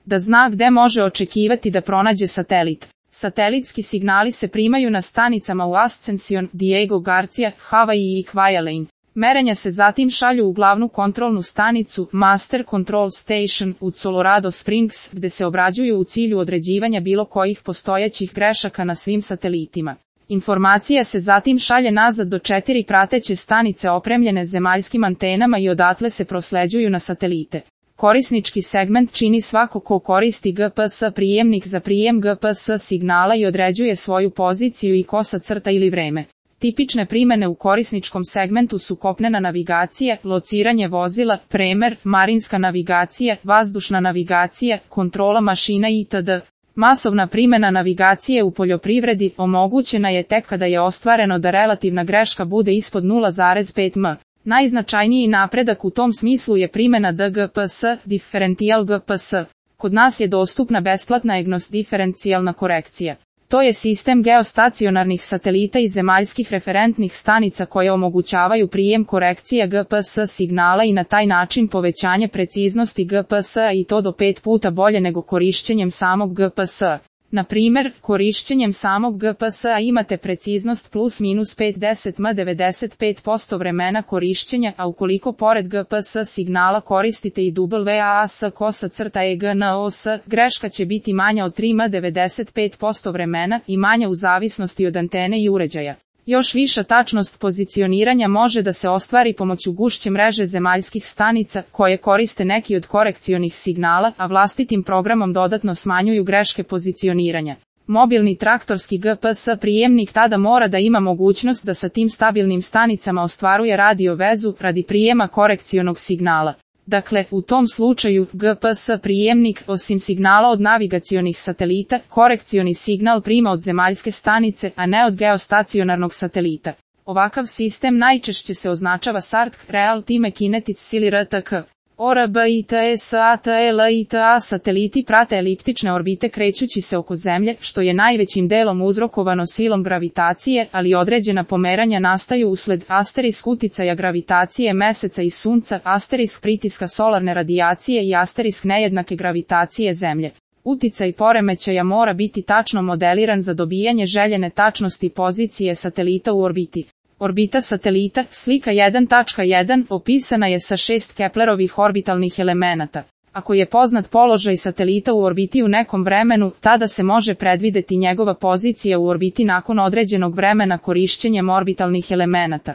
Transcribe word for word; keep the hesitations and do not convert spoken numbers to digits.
da zna gde može očekivati da pronađe satelit. Satelitski signali se primaju na stanicama u Ascension, Diego Garcia, Hawaii i Kwajalein. Merenja se zatim šalju u glavnu kontrolnu stanicu, Master Control Station, u Colorado Springs, gde se obrađuju u cilju određivanja bilo kojih postojećih grešaka na svim satelitima. Informacija se zatim šalje nazad do četiri prateće stanice opremljene zemaljskim antenama i odatle se prosleđuju na satelite. Korisnički segment čini svako ko koristi G P S prijemnik za prijem G P S signala i određuje svoju poziciju i kosa crta ili vreme. Tipične primene u korisničkom segmentu su kopnena navigacija, lociranje vozila, premer, marinska navigacija, vazdušna navigacija, kontrola mašina itd. Masovna primena navigacije u poljoprivredi omogućena je tek kada je ostvareno da relativna greška bude ispod nula zarez pet m. Najznačajniji napredak u tom smislu je primena D G P S, Differential G P S. Kod nas je dostupna besplatna E G N O S diferencijalna korekcija. To je sistem geostacionarnih satelita i zemaljskih referentnih stanica koje omogućavaju prijem korekcija G P S signala i na taj način povećanje preciznosti G P S-a i to do pet puta bolje nego korišćenjem samog G P S-a. Na primjer, korišćenjem samog G P S-a imate preciznost plus minus pedeset m devedeset pet posto vremena korišćenja, a ukoliko pored G P S signala koristite i W A S kosa crta E G N O S, greška će biti manja od tri m devedeset pet posto vremena i manja u zavisnosti od antene i uređaja. Još viša tačnost pozicioniranja može da se ostvari pomoću gušće mreže zemaljskih stanica, koje koriste neki od korekcionih signala, a vlastitim programom dodatno smanjuju greške pozicioniranja. Mobilni traktorski G P S prijemnik tada mora da ima mogućnost da sa tim stabilnim stanicama ostvaruje radio vezu radi prijema korekcionog signala. Dakle, u tom slučaju, G P S prijemnik, osim signala od navigacionih satelita, korekcioni signal prima od zemaljske stanice, a ne od geostacionarnog satelita. Ovakav sistem najčešće se označava S A R T K, Real Time Kinetic Sili R T K. O R B I T S A T L I T A sateliti prate eliptične orbite krećući se oko Zemlje, što je najvećim delom uzrokovano silom gravitacije, ali određena pomeranja nastaju usled asterisk uticaja gravitacije Meseca i Sunca, asterisk pritiska solarne radijacije i asterisk nejednake gravitacije Zemlje. Uticaj poremećaja mora biti tačno modeliran za dobijanje željene tačnosti pozicije satelita u orbiti. Orbita satelita, slika jedan tačka jedan, opisana je sa šest Keplerovih orbitalnih elemenata. Ako je poznat položaj satelita u orbiti u nekom vremenu, tada se može predvideti njegova pozicija u orbiti nakon određenog vremena korišćenjem orbitalnih elemenata.